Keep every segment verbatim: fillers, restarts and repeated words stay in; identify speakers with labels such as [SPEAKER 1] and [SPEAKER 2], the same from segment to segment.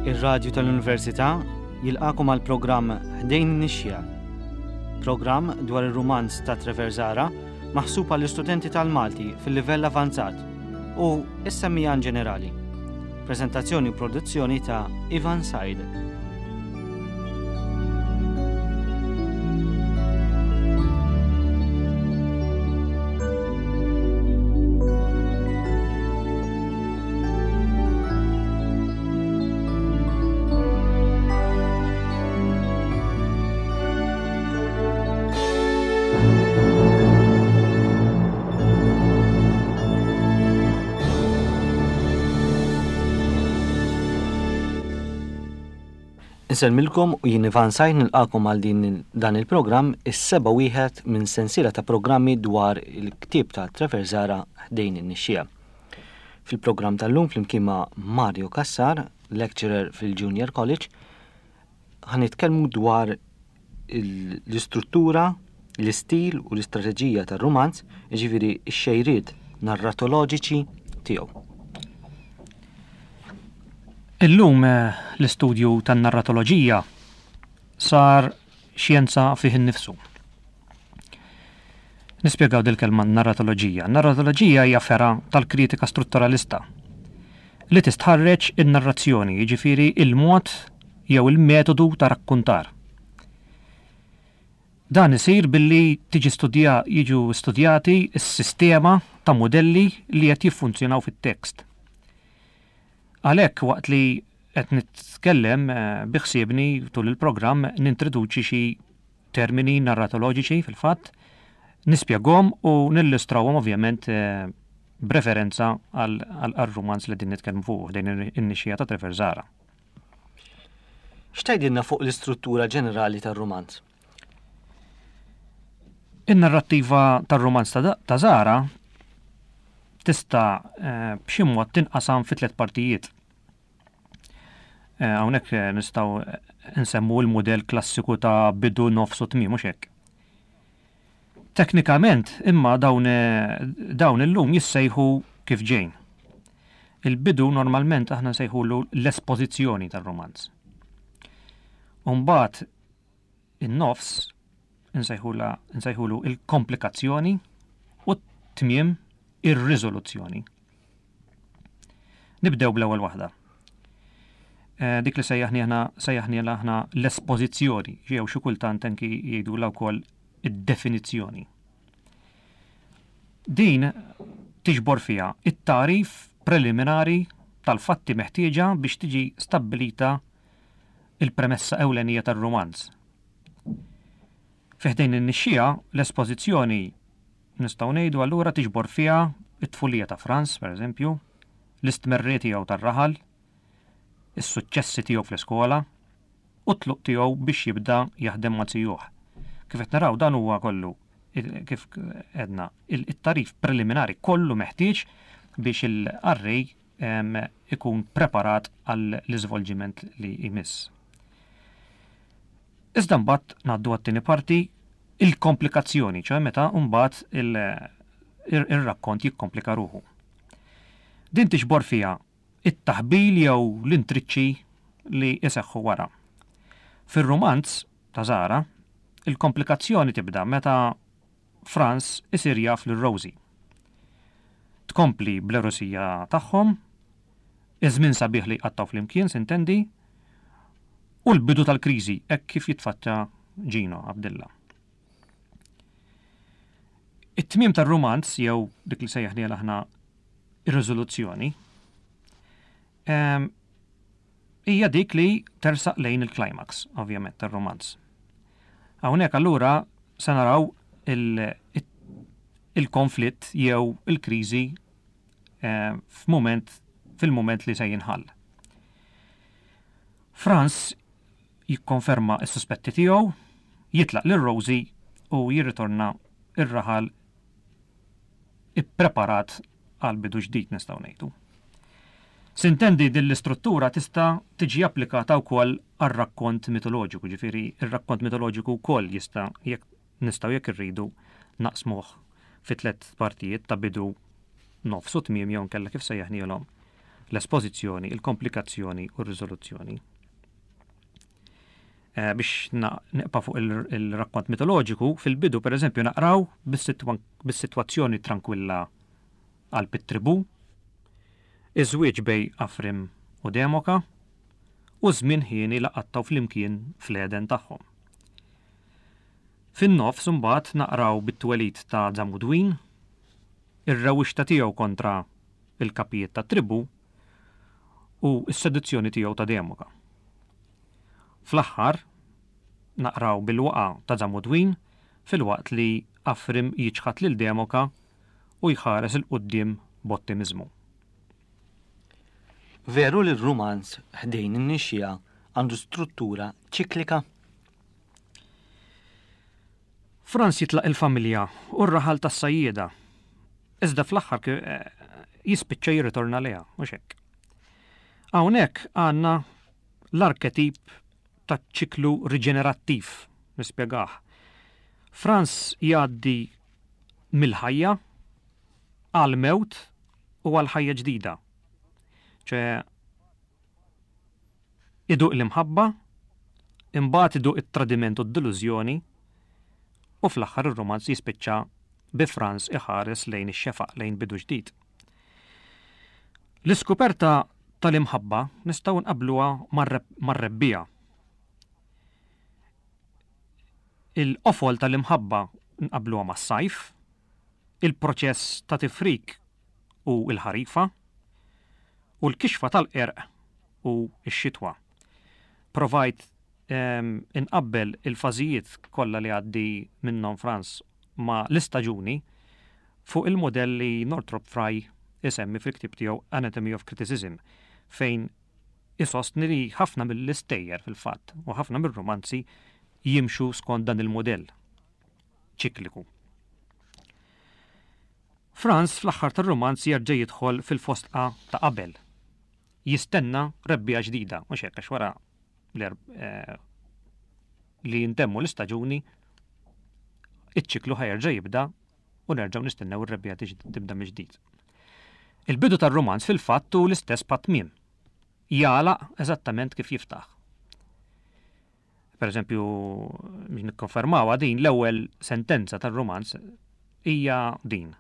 [SPEAKER 1] Ir-Radju tal-Università jilqakom għal programm Ħdejn Nixja. Programm dwar ir-rumanz ta' Trevor Zara maħsub għall istudenti tal-Malti fil-livell avanzat u is-semmijan ġenerali. Prezentazzjoni u produzzjoni ta' Ivan Said. Insellmilkom u jien Ivan Sajn nilqakom għal din dan il-programm is-seba' wieħed minn sensiela ta' programmi dwar il-ktieb ta' Trevor Zara ħdejn in-nixxija. Fil-programm tal-lum flimkien ma' Mario Cassar, lecturer fil-Junior College, ħa nitkellmu dwar l-istruttura, l-istil u l-istrateġija tar-rumanz, jiġifieri x-xejriet narratoloġiċi tiegħu.
[SPEAKER 2] Illum eh, l-istudju tan-narratoloġija sar xjenza fih innifsu. Nispjegaw dil-kelma narratoloġija. Narratoloġija hija fergħa tal-kritika strutturalista li tistħarreġ in-narrazzjoni, jiġifieri il-mod jew il-metodu ta' rakkuntar. Dan isir billi tiġi studja jiġu studjati s-sistema ta' modelli li qed jiffunzjonaw fit-tekst. Għalhekk waqt li qed nitkellem eh, biħsiebni tul il-programm nintroduċi xi termini narratoloġiċi fil-fatt, nispjegahom u nillustrawhom ovvjament eh, b'referenza għal rumanz li din nitkellmu fuq din in-nixxija ta' Trevor Zara.
[SPEAKER 1] X'tgħidilna fuq l-istruttura ġenerali tar-rumanz?
[SPEAKER 2] In-narrattiva tar-rumanz ta' Zara tista' eh, b'xi mod tinqasam fi tliet partijiet. Eh, hawnhekk eh, nistgħu nsemmu l-mudell klassiku ta' bidu nofs u tmiem mhux hekk. Teknikament imma dawn dawn illum jissejħu kif ġejn. Il-bidu normalment aħna nsejħulu l-espożizzjoni tar-romanz. Umbagħad in-nofs nsejħulu il-komplikazzjoni u t-tmiem ir-riżoluzzjoni. Nibdew bl-ewwel waħda. Eh, dik li sejjaħni aħna sejjaħni aħna l-espożizzjoni, jew xi kultant anki jgħidulha wkoll id-definizzjoni. Din tiġbor fiha it-tarif preliminari tal-fatti meħtieġa biex tiġi stabbilita il-premessa ewlenija tar-romanz. Fi Ħdejn in-nixxija l-espożizzjoni nistgħu ngħidu allura tiġbor fiha it-tfulija ta' Franz, per eżempju, l-istmerri tiegħu tar-raħal, is-suċċessi tiegħu fl-iskola u t-tluq tiegħu biex jibda jaħdem ma' zijuh. Kif qed naraw dan huwa kollu kif għedna it-tarif preliminari kollu meħtieġ biex il-qarrej ikun preparat għall-iżvolġiment li jmiss. Iżda mbagħad ngħaddu għat-tieni parti il-komplikazzjoni, ċoè meta mbagħad ir-rakkont jikkomplika ruħu. Din tiġbor fiha it-taħbil jew l-intriċċi li jseħħu wara. Fir-rumanz ta' Zara, il-komplikazzjoni tibda meta Franz isir jaf lil Rosie. Tkompli bl-erosija tagħhom, iż-żmien sabiħ li jqattaw flimkien sintendi, u l-bidu tal-kriżi hekk kif jitfaċċa Gino Abdilla. It-tmiem tar-rumanz jew dik li sejjaħni aħna ir-riżoluzzjoni hija dik li tersaq lejn il-climax, ovvjament, tar-romanz. Hawnhekk allura se naraw il-konflitt jew il-kriżi eh, f'mument fil-mument li se jinħall. Franz jikkonferma s-suspetti tiegħu, jitlaq lil Rosie u jirritorna ir-raħal ippreparat għal bidu ġdid nistgħu ngħidu. Sintendi din l-istruttura tista' tiġi applikata wkoll għar-rakkont mitoloġiku, ġifieri ir-rakkont mitoloġiku wkoll jista' jekk nistgħu jekk irridu naqsmuh fi tliet partijiet ta' bidu nofs u tmiem jew nkella kif sejjaħnielhom L-espożizzjoni, il-komplikazzjoni u r-riżoluzzjoni. Eh, biex neqpa fuq il-rakkont mitoloġiku, fil-bidu per eżempju naqraw bis-sitwazzjoni tranquilla għal it-tribu, iż-żwieġ bejn Afrim u Demoka, u żmien ħieni li qattgħu flimkien fl-Eden tagħhom. Fin-nofs imbagħad naqraw bit-twelid ta' Zamudwin, ir-rewwixta tiegħu kontra il-kapijiet ta' tribu u s-seduzzjoni tiegħu ta' Demoka. Fl-aħħar naqraw bil-waqa ta' Zamudwin filwaqt li Afrim jiċħad lil Demoka u jħares 'il quddiem b'ottimiżmu.
[SPEAKER 1] Veru li r-rumanz Ħdejn in-Nixxiegħa għandu struttura ċiklika?
[SPEAKER 2] Franz jitlaq il-familja u r-raħal tas-sajjieda. Iżda fl-aħħar eh, jispiċċa jirritorna lejha, mhux hekk. Hawnhekk għandna l-arketip ta' ċiklu riġenerattiv, nispjegah. Franz jgħaddi mill-ħajja għal mewt u għal ħajja ġdida. ċe iduq l-imħabba, imbagħad iduq it-tradiment u d-delużjoni, u fl-aħħar ir-romanz jispiċċa bi Franz iħares lejn ix-xefaq, lejn bidu ġdid. L-iskuperta tal-imħabba nistgħu nqabbluha mar-rebbiegħa. Il-qofol tal-imħabba nqabbluha mas-sajf, il-proċess ta' tifrik u l-ħarifa, u l-kixfa tal-qerq u x-xitwa. Provajt inqabbel il-fażijiet kollha li għaddi minnhom Franz ma' l-istaġuni fuq il-modell li Northrop Frye isemmi fil-ktieb tiegħu Anatomy of Criticism, fejn isostni li ħafna mill-istejjer fil-fatt u ħafna mir-romanzi jimxu skont dan il-modell ċikliku. Franz fl-aħħar tar-romanz jerġa' jidħol fil-fosdqa ta' qabel. Jistenna rebbiegħa ġdida, mhux hekk, għax wara li jintemmu l-istaġuni, iċ-ċiklu ħa jerġa' jibda u nerġgħu nistennew ir-rebbiegħa tibda mill-ġdid. Il-bidu tar-romanz fil-fatt hu l-istess bħat-tmiem. Jagħlaq eżattament kif jiftaħ. Per eżempju, biex nikkonfermawha din, l-ewwel sentenza tar-romanz hija din: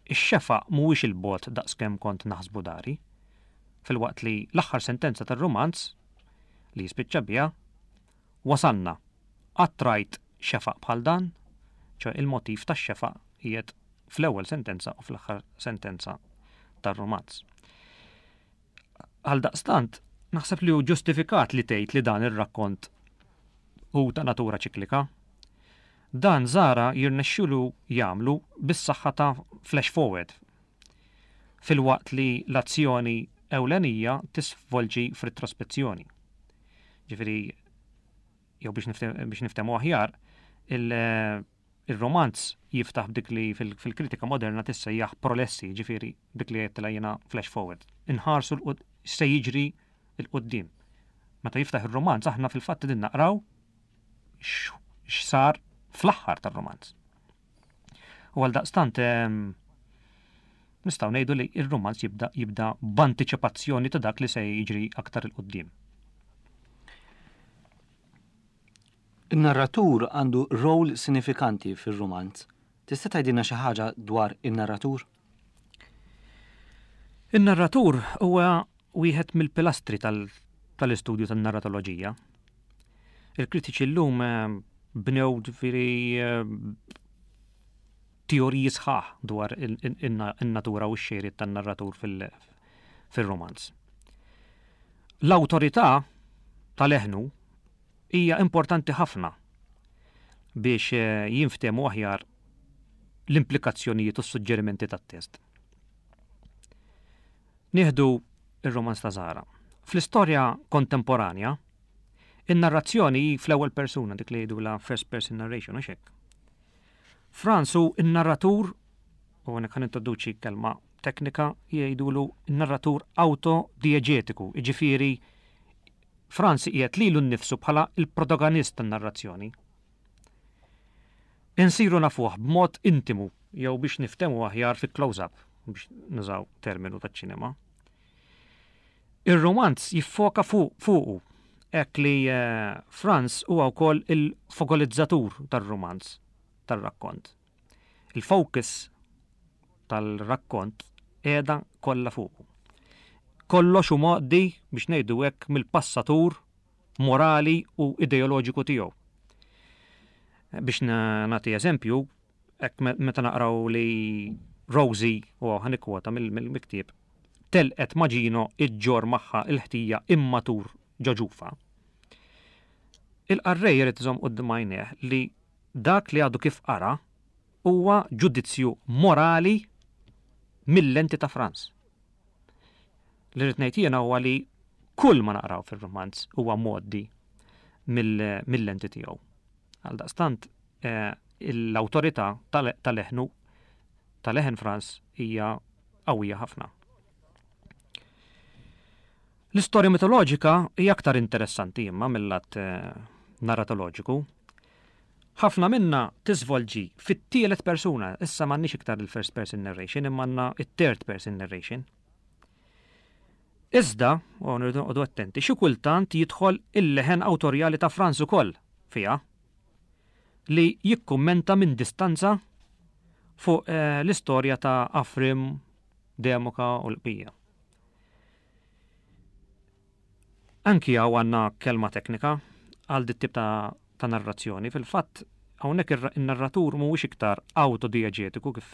[SPEAKER 2] Ix-xefaq mhuwiex il-bogħod daqskemm kont naħsbu dari. Filwaqt li l-aħħar sentenza tar-romanz li jispiċċa biha, wasalna, qatt rajt xefaq bħal dan? ċoe il-motiv tax-xefaq qiegħed fl-ewwel sentenza u fl-aħħar sentenza tar-romanz. Għaldaqstant, naħseb li hu ġustifikat li tgħid li dan ir-rakkont hu ta' natura ċiklika. Dan Zahra jirnexxielu jagħmlu bis-saħħa ta' flash forward, filwaqt li l-azzjoni ewlenija tisvolġi f'retrospezzjoni. Ġifieri, jew biex niftehmu aħjar, il-romanz jiftaħ b'dik li fil-kritika moderna tissejjaħ prolessi, ġifieri dik li għedtilha jiena flash forward. Inħarsu se jiġri l-quddiem. Meta jiftaħ ir-romanz aħna fil-fatt qegħdin naqraw x'sar fl-aħħar tar-romanz. U għal daqstant nistgħu ngħidu li r-romanz jibda jibda b'antiċipazzjoni ta' dak li se jiġri aktar 'il quddiem.
[SPEAKER 1] In-narratur għandu rol sinifikanti fir-rumanz. Tista' tgħidilna xi ħaġa dwar in-narratur?
[SPEAKER 2] In-narratur huwa wieħed mill-pilastri tal-istudju tan-narratoloġija. Il-kritiċi llum bnew ġifieri teoriji sħaħ dwar in-natura u x-xejriet tan-narratur fil-romanz. L-awtorità tal-eħnu hija importanti ħafna biex jinftehmu aħjar l-implikazzjonijiet u s-suġġerimenti tat-test. Nieħdu ir-romanz ta' Zahra. Fl-istorja kontemporanja, in-narrazzjoni hi fl-ewwel persuna, dik li jgħidulha first person narration, mhux hekk. Franz hu n-narratur, u hawnhekk ħa nintroduċi kelma teknika, jgħidulu n-narratur autodieġetiku, jiġifieri Franz qiegħed lilu nnifsu bħala il-protagonist tan-narrazzjoni. Insiru nafuh b'mod intimu jew biex niftehmu aħjar fi close-up, biex nużaw terminu taċ-ċinema. Ir-romanz jiffoka fuqu, hekk li eh, Franz huwa wkoll il-fokalizzatur tar-romanz, tar-rakkont. Il-focus tal-rakkont qiegħda kollha fuqu. Kollox hu mgħoddi biex ngħidu hekk mill-passatur morali u ideoloġiku tiegħu. Biex nagħti eżempju, hekk meta naqraw li Rosie, u ħa nikkwota mill-ktieb, telqet ma' Gino iġġorr magħha il-ħtija immatur ġo ġufha. Il-qarrej irid iżomm quddiem għajnejh li dak li għadu kif qara huwa ġudizzju morali mill-lenti ta' Franz. Li rrid ngħid jiena huwa li kull ma naqraw fir-romanz huwa mgħoddi mill-lenti tiegħu. Għaldaqstant eh, l-awtorità tal-leħnu tal-leħen Franz hija qawwija ħafna. L-istorja mitoloġika hija aktar interessanti imma mill-lat eh, narratoloġiku. Ħafna minna tiżvolġi fit-tielet persuna, issa m'għandniex iktar il-first person narration, imma għandna it-third person narration. Iżda, u nirridu noqogħdu attenti, xi kultant jidħol il-leħen awtorjali ta' Franz ukoll fiha li jikkummenta minn distanza fuq eh, l-istorja ta' Afrim, Demoka u l-bqija. Anki hawn għandna kelma teknika għal dit tip ta', ta' narrazzjoni. Fil-fatt, hawnhekk in-narratur mhuwiex iktar autodieġetiku kif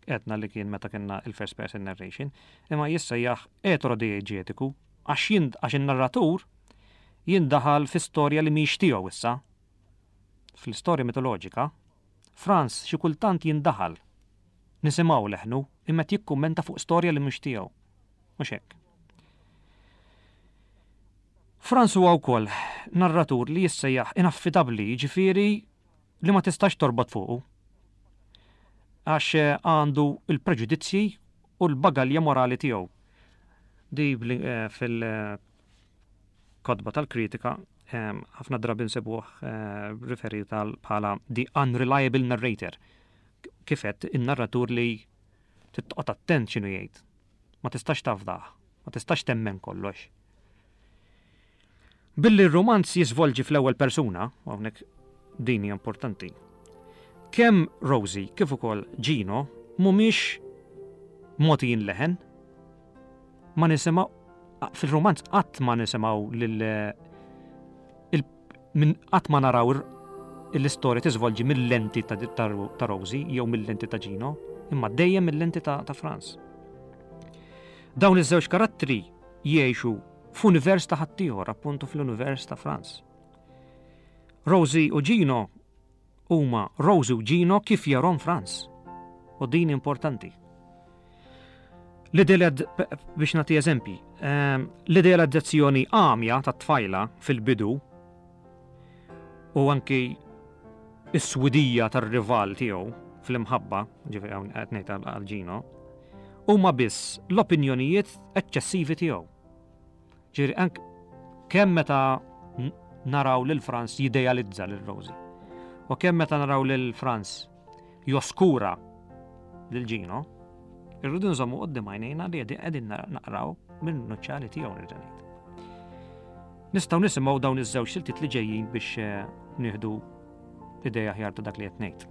[SPEAKER 2] għedna li kien meta kellna il-first person narration, imma jissejjaħ eterodieġetiku għax għax in-narratur jindaħal fi storja li mhix tiegħu issa. Fl-istorja mitoloġika, Franz xi kultant jindaħal. Nisimgħu leħnu imma jikkummenta fuq storja li mhux tiegħu. Mhux hekk. Franz huwa wkoll narratur li jissejjaħ inaffidabbli, jiġifieri li ma tistax torbot fuqu. Għax eh, għandu il-preġudizzji u l-bagalja morali tiegħu. Di eh, fil-kotba tal-kritika eh, ħafna drabi nsibuh riferit bħala the unreliable narrator. Kif għedt in-narratur li trid attent x'inhu jgħid. Ma tistax tafdah, ma tistax temmen kollox. Billi r-romanz jiżvolġi fl-ewwel persuna, hawnhekk din hija importanti. Kemm Rosie kif ukoll Gino mhumiex mogħtijin leħen, ma nisimgħu fil-romanz qatt ma nisimgħu lil minn qatt ma naraw l-istorja tiżvolġi mill-lenti ta', ta Rosie jew mill-lenti ta' Gino, imma dejjem mill-lenti ta', ta' Franz. Dawn iż-żewġ karattri jgħixu f'univers ta' ħaddieħor, appuntu fl-univers ta' Franz. Rosie u Gino huma Rosie u Gino kif jarahom Franz. U din importanti. L-idealizz biex nagħti eżempji, ehm, l-idealizzazzjoni għamja ta' tfajla fil-bidu u anki is-swidija tar-rival tiegħu fl-imħabba, ġifieri hawn qed ngħid għal Gino, huma biss l-opinjonijiet eċċessivi tiegħu. Ġifieri ank kemm meta naraw lil Franz jidealizza lil Rosie. U kemm meta naraw lil Franz joskura lil Gino, irridu nżommu quddiem għajnejna li qegħdin naqraw minn nuċċali tiegħu nerġa' ngħid. Nistgħu nisimgħu dawn iż-żewġ siltiet li ġejjin biex eh, nieħdu idea aħjar ta' dak li qed ngħid.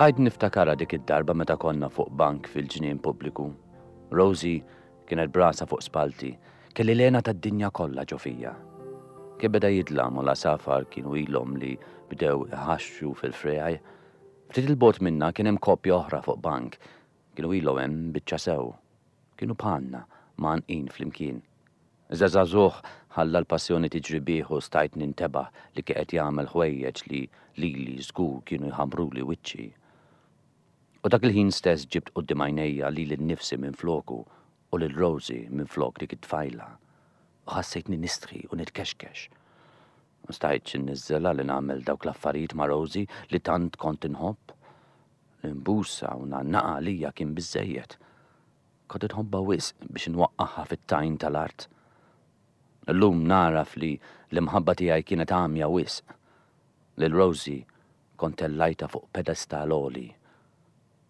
[SPEAKER 3] Bqajt niftakarha dik id-darba meta konna fuq bank fil-ġnien pubbliku. Rosie kienet b'rasha fuq spallti, kelli l-hena tad-dinja kollha ġo fija. Kien beda jidlam u l-għasafar kienu ilhom li bdew iħaxxu fil-friegħi. Ftit 'il bogħod minna kien hemm koppja oħra fuq bank, kienu ilhom hemm biċċa sew. Kienu bħalna mgħannqin flimkien. Iżda żagħżugħ ħalla l-passjoni tiġri bih u stajt nintebaħ li kien qed jagħmel ħwejjeġ li lili żgur kienu jħamruli wiċċi. U dak il-ħin stess ġibt quddiem għajnejja lili nnifsi minn floku u lil Rosie minn flok dik it-tfajla. U ħassejtni nistħi u nitkexkex. Ma stajtx inniżżelha li nagħmel dawk l-affarijiet ma' Rosie li tant kont inħobb. Li nbusha u ngħannaqha għalija kien biżejjed. Kont inħobbha wisq biex inwaqqagħha fit-tajn tal-art. Illum nagħraf li l-imħabba tiegħi kienet għamja wisq. Lil Rosie kont tellajtha fuq pedestal għoli.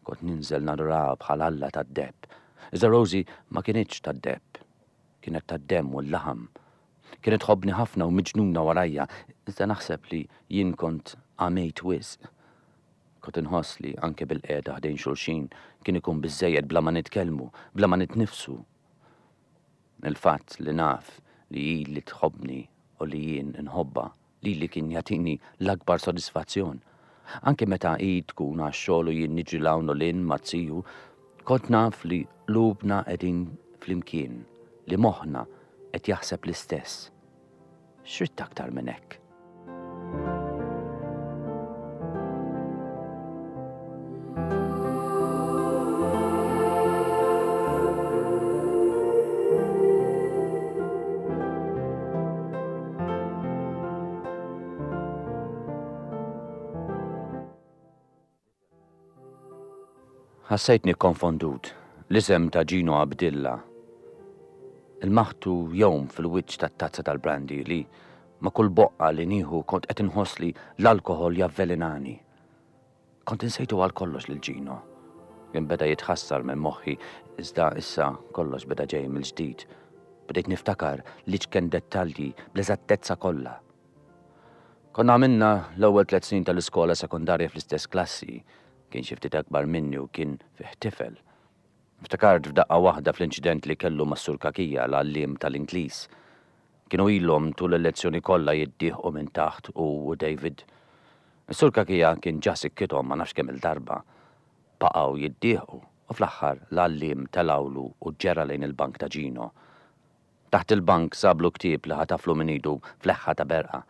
[SPEAKER 3] Kont ninżel naduraha bħal alla tad-deheb. Iżda Rosie ma kinitx tad-deheb. Kienet tad-demm u l-laħam. Kienet tħobbni ħafna u miġnuna warajja, iżda naħseb li jien kont għamejt wisq. Kont inħoss li anke bil-qiegħda ħdejn xulxin kien ikun biżżejjed bla ma nitkellmu, bla ma nitnifsu. Il-fatt li naf li hi li tħobbni u li jien inħobbha, lili kien jagħtini l-akbar sodisfazzjon. Anke meta hi tkun għax-xogħol u jien niġri 'l hawn u 'l hinn maz-ziju, kont naf li qlubna qegħdin flimkien, li moħħna qed jaħseb l-istess. X'ridt aktar minn hekk? Ħassejtni konfondut, l-isem ta' Gino Abdilla. Ilmaħtu jgħum fil-wiċċ tat-tazza tal-brandy li ma' kull boqqa li nieħu kont qed inħoss li l-alkoħol javvelenani. Kont insejtu għal kollox lil Gino. Kien beda jitħassar minn moħħi, iżda issa kollox beda ġej mill-ġdid. Bdejt niftakar l-iċken dettalji bl-eżattezza kollha. Konna għamilna l-ewwel tliet snin tal-iskola sekondarja fl-istess klassi. Kien xi ftit akbar minni u kien fih tifel. Ftakart f'daqqa waħda fl-inċident li kellu mas-Sur Kakija, l-għalliem tal-Ingliż. Kienu ilhom tul il-lezzjoni kollha jiddieħqu minn taħt hu u David. Is-Sur Kakija kien ġa sikkithom ma nafx kemm il-darba. Baqgħu jiddieħqu u fl-aħħar l-għalliem telgħulu u ġera lejn il-bank ta' Gino. Taħt il-bank sablu ktieb li ħataflu minn idu f'leħħa ta' berqa.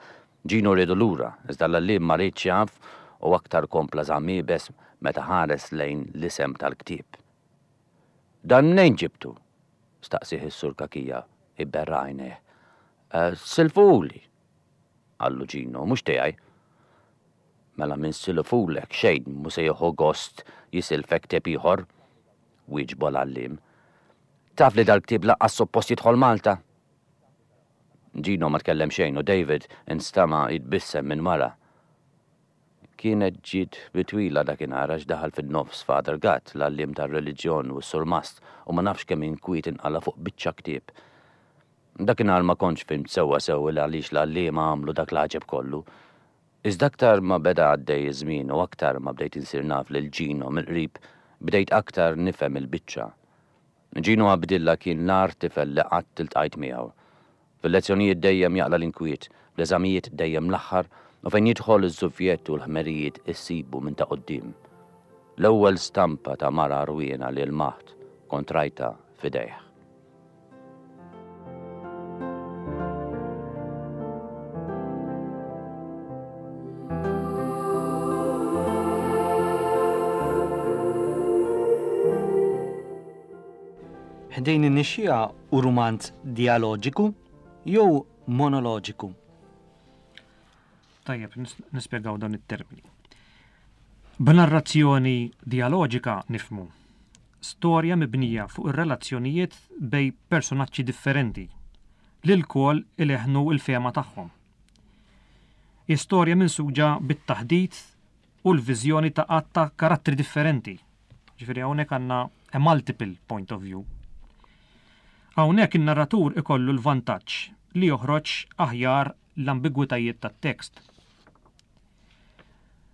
[SPEAKER 3] Gino riedu lura, iżda l-għalliem ma riedx jaf u aktar kompla żamm iebes meta ħares lejn l-isem tal-ktieb. Dan mnejn ġibtu? Staqsieh is-Sur Kakija, iberra għajnejh. Silfuli, qallu Gino, mhux tiegħi. Mela minn silfulek xejn mhu se jieħu gost jisilfek ktieb ieħor, wieġbu l-għalliem. Taf li dal-ktieb lanqas suppost jidħol Malta? Gino ma tkellem xejn u David instama' jitbissem minn wara. Kienet ġiet bitwila dakinhar għax daħal fin-nofs Father Gatt, l-għalliem tar-reliġjon u s-surmast, u ma nafx kemm inkwiet inqala' fuq biċċa ktieb. Dakinhar ma kontx fhimt sewwa sew il għaliex l-għalliema għamlu dak l-għaġeb kollu. Iżda aktar ma beda għaddej iż-żmien u aktar ma bdejt insir naf lil Gino mill-qrib, bdejt aktar nifhem il-biċċa. Gino Abdilla kien l-agħar tifel li qatt iltqajt miegħu. Fil-lezzjonijiet dejjem jaqla' l-inkwiet, fl-eżamijiet dejjem l-aħħar, u fejn jidħol iż-żufjett u l-ħmerijiet issibu minn ta' quddiem. L-ewwel stampa ta' mara rwiena li lmaħt kont rajtha f'idejh.
[SPEAKER 1] Ħdejn in-nixxiegħa hu rumanz dialoġiku jew monoloġiku?
[SPEAKER 2] Tajjeb, nis-, nispjegaw dawn it-termini. B'narrazzjoni dialoġika nifhmu storja mibnija fuq ir-relazzjonijiet bej personaġġi differenti li lkoll ileħnu l-fehma tagħhom. Istorja minsuġa bit-taħdit u l-viżjoni ta' għadd ta' karattri differenti. Ġifieri hawnhekk għandna a multiple point of view. Hawnhekk in-narratur ikollu l-vantaġġ li joħroġ aħjar l-ambigwitajiet tat-tekst.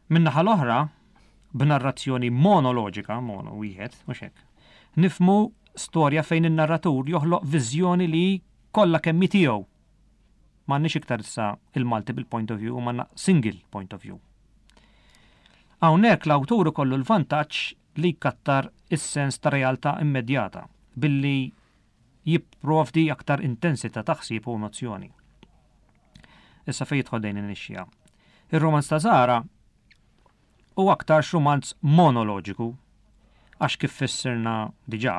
[SPEAKER 2] Min-naħa l-oħra, b'narrazzjoni monoloġika, mono wieħed, mhux hekk, nifhmu storja fejn in-narratur joħloq viżjoni li kollha kemm hi tiegħu. M'għandniex iktar issa il-multiple point of view, u m'għandna single point of view. Hawnhekk l-awtur ikollu l-vantaġġ li jkattar is-sens ta' realtà immedjata billi jipprovdi aktar intensità ta' ħsieb u emozzjoni. Issa fejn jidħol dejn in-nixxija. Ir-romanz ta' Zahra hu aktar romanz monoloġiku, għax kif fissirna diġà,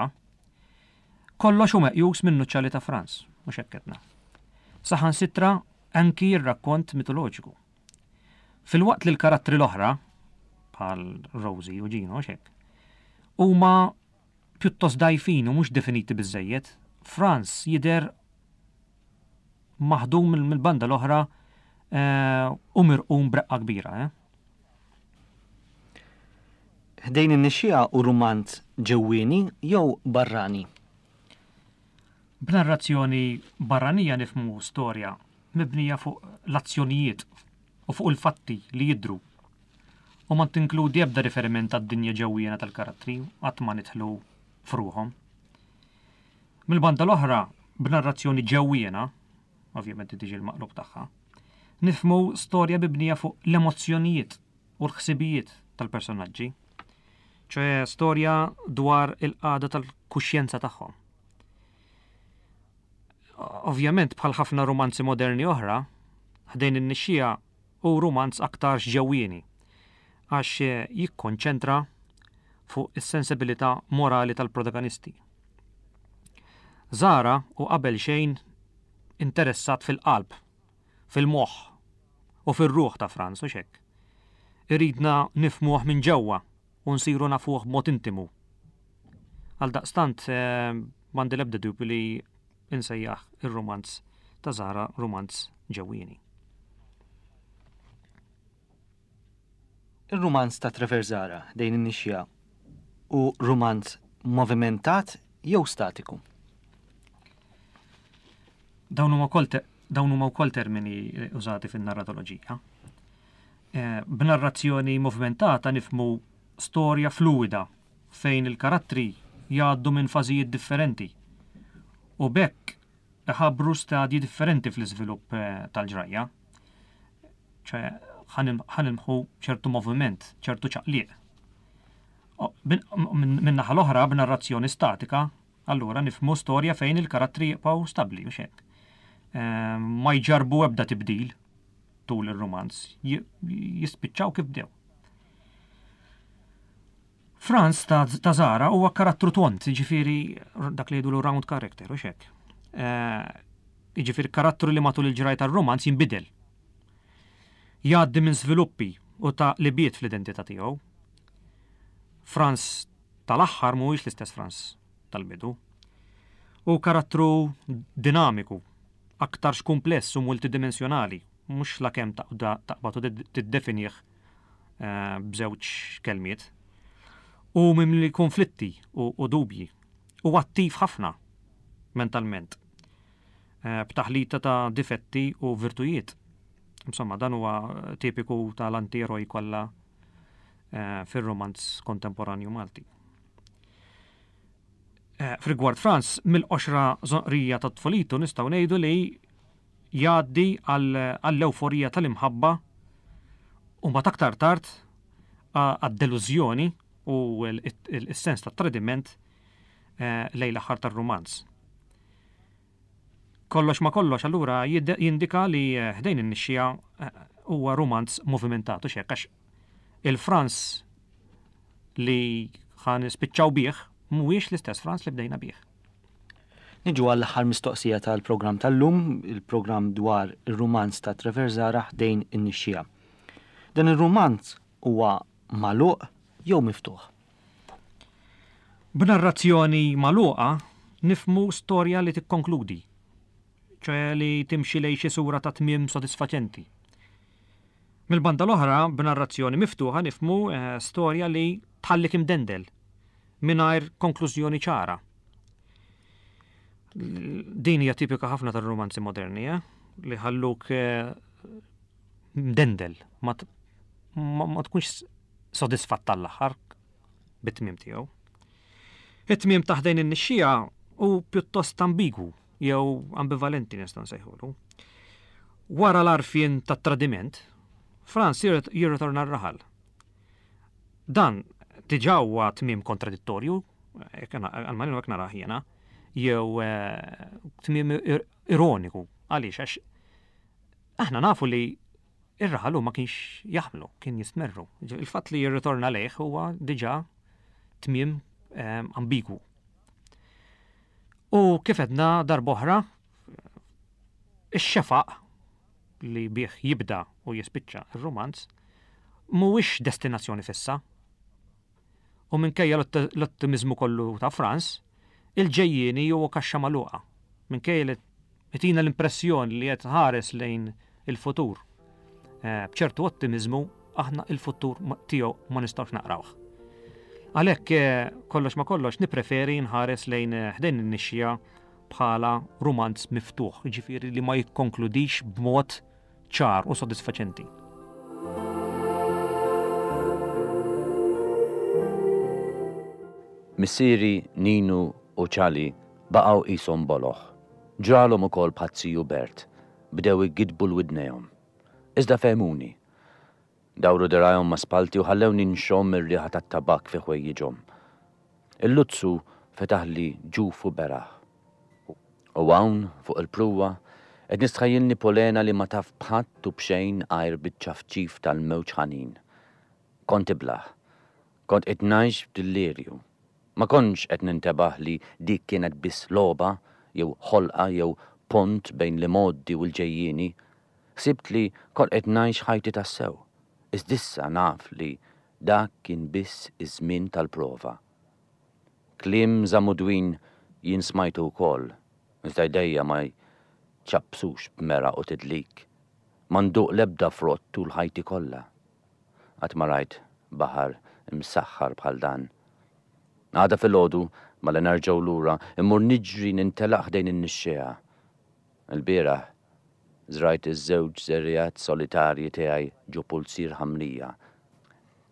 [SPEAKER 2] kollox hu meqjus minn nuċċali ta' Franz, mhux hekk qedna. Saħansitra anki r-rakkont mitoloġiku. Filwaqt li l-karattri l-oħra, bħal Rosie u Gino, mhux hekk, huma pjuttost dgħajfin u mhux definiti biżżejjed. Franz jidher maħdum mill-banda l-oħra u mirqum b'reqqa kbira. Eh?
[SPEAKER 1] Ħdejn in-Nixxiegħa hu rumanz ġewwieni jew barrani?
[SPEAKER 2] B'narrazzjoni barranija nifhmu storja mibnija fuq l-azzjonijiet u fuq il-fatti li jidhru u ma tinkludi ebda riferiment għad-dinja ġewwiena tal-karattri, qatt ma nidħlu f'ruħhom. Mill-banda l-oħra, b'narrazzjoni ġewwiena, ovvjament tiġi l-maqlub tagħha, nifhmu storja mibnija fuq l-emozzjonijiet u l-ħsibijiet tal-personaġġi, ċoè storja dwar il-qagħda tal-kuxjenza tagħhom. Ovvjament, bħal ħafna romanzi moderni oħra, Ħdejn in-Nixxiegħa hu rumanz aktar ġewwieni, għax jikkonċentra fuq is-sensibilità morali tal-protagonisti. Zahra hu qabel xejn interessat fil-qalb, fil-moħħ u fir-ruħ ta' Franz, u hekk. Iridna nifhmuh minn ġewwa u nsiru nafuh b'mod intimu. Għaldaqstant m'għandi l-ebda dubju li insejjaħ ir-romanz ta' Zahra romanz ġewwieni.
[SPEAKER 1] Ir-rumanz ta' Trevor Zahra, Ħdejn in-Nixxiegħa, hu rumanz movimentat jew statiku?
[SPEAKER 2] Dawn huma wkoll dawn huma wkoll termini użati fin-narratoloġija. B'narrazzjoni movimentata nifhmu storja fluwida fejn il-karattri jgħaddu minn fażijiet differenti u b'hekk iħabbru stadji differenti fl-iżvilupp tal-ġrajja. ċe ħanilmħu ċertu moviment, ċertu ċaqliq. Min naħa l-oħra, b'narrazzjoni statika, allura nifhmu storja fejn il-karattri jibqgħu stabbli u xek. Ma jġarbu ebda tibdil tul ir-romanz, jispiċċaw kif bdew. Franz ta' Zahra huwa karattru tont, jiġifieri dak li jgħidulu round character u xek. Jiġifieri karattru li matul il-ġraj tar-romanz jinbidel. Jgħaddi minn żviluppi u ta' libiet fl-identità tiegħu. Franz tal-aħħar mhuwiex l-istess Franz tal-bidu. U karattru dinamiku, aktarx kumpless u multidimensjonali, mhux lakemm taqbad u tiddefinih b'żewġ kelmiet. U mimli konflitti u dubji. U attiv ħafna mentalment, b'taħlita ta' difetti u virtujiet. Insomma, dan huwa tipiku tal-antieroj kollha fir-romanz kontemporanju Malti. F'rigward Franz, mill-qoxra żonqrija ta' tfulitu nistgħu ngħidu li jgħaddi għall-ewforija tal-imħabba u mbagħad aktar tard għad-delużjoni u s-sens ta' tradiment lejn l-aħħar tar-romanz. Kollox ma kollox allura jindika li Ħdejn in-Nixxiegħa huwa romanz movimentat u xek, għax il-Franz li ħan spiċċaw bih mhuwiex l-istess Franz li bdejna bih.
[SPEAKER 1] Niġu għall-aħħar mistoqsija tal-programm tal-lum, il-programm dwar ir-romanz ta' Trevor Zahra Ħdejn in-Nixxiegħa. Dan ir-romanz huwa magħluq jew miftuħ?
[SPEAKER 2] B'narrazzjoni magħluqa nifhmu storja li tikkonkludi, ċoè li timxi lejn xi sura ta' tmiem sodisfaċenti. Mill-banda l-oħra, b'narrazzjoni miftuħa nifhmu storja li tħallik imdendel, mingħajr konklużjoni ċara. Din hija tipika ħafna tar-romanzi moderni, eh? Li ħalluk mdendel, ma, ma tkunx sodisfatt tal-aħħar bit-tmiem tiegħu. It-tmiem ta' Ħdejn in-Nixxiegħa hu pjuttost ambigwu jew ambivalenti nistgħu nsejħulu. Wara l-għarfien tat-tradiment, Franz jirritorna r-raħal. Dan diġà huwa tmiem kontradittorju, għalmenu hekk narah jiena, jew tmiem ironiku. Għaliex? Għax aħna nafu li ir-raħal ma kienx jaħmlu, kien jistmerru. Il-fatt li jirritorna lejh huwa diġà tmiem ambigwu. U kif għedna darb'oħra, ix-xefaq li bih jibda u jispiċċa ir-romanz mhuwiex destinazzjoni fissa. U minkejja l-ottimiżmu kollu ta' Franz, il-ġejjieni huwa kaxxa magħluqa. Minkejja li jtina l-impressjoni li qed ħares lejn il-futur. Eh, b'ċertu ottimiżmu aħna il-futur tiegħu ma nistgħux naqrawh. Għalhekk eh, kollox ma kollox nippreferi nħares lejn eh, ħdejn in-nixxija bħala rumanz miftuħ, ġifieri li ma jikkonkludix b'mod ċar u sodisfaċenti.
[SPEAKER 3] Missieri, Ninu u Ċali baqgħu qishom boloh. Ġralhom ukoll bħat-ziju Bert, bdew igidbu l-widnejhom. Iżda fehmuni. Dawru dirgħajhom ma' spalti u ħallewni nxomm ir-riħa tat-tabakk fi ħwejjiġhom. Il-luzzu fetaħli ġufu beraħ. U hawn, fuq il-pruwa, qed nistħajjilni polena li ma taf b'ħadd u b'xejn għajr biċ-ċafċif tal-mewġ ħanin. Kont iblah. Kont qed ngħix f'dillirju. Ma kontx qed nintebaħ li dik kienet biss logħba jew ħolqa jew pont bejn l-imgħoddi u l-ġejjieni. Ħsibt li kont qed ngħix ħajti tassew. Iżda issa naf li dak kien biss iż-żmien tal-prova. Kliem Żamudwin jien smajtu wkoll, iżda jdejja ma jċappsux b'meraq u tidlik. Ma nduq l-ebda frott tul ħajti kollha. Qatt ma rajt baħar imsaħħar bħal dan. Għada filgħodu, malli nerġgħu lura, immur niġri nintelaq ħdejn in-nixxiegħa. Il-bieraħ żrajt iż-żewġ żerriegħat solitarji tiegħi ġo pulzier ħamrija.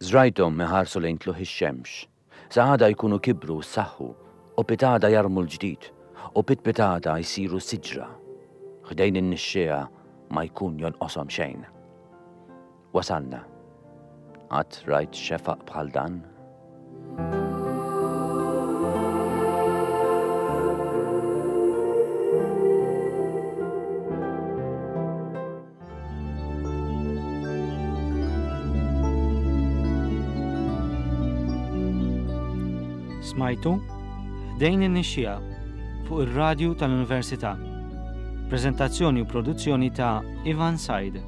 [SPEAKER 3] Żrajthom iħarsu lejn tluħ ix-xemx. Sa għada jkunu kibru u ssaħħu, u pitada jarmu l-ġdid, u pitpitada jsiru siġra. Ħdejn in-nixxiegħa ma jkun jonqoshom xejn. Wasalna. Qatt rajt xefaq bħal dan?
[SPEAKER 1] Smajtu Ħdejn in-Nixxiegħa fuq ir-radju tal-Università. Preżentazzjoni u produzzjoni ta' Ivan Said.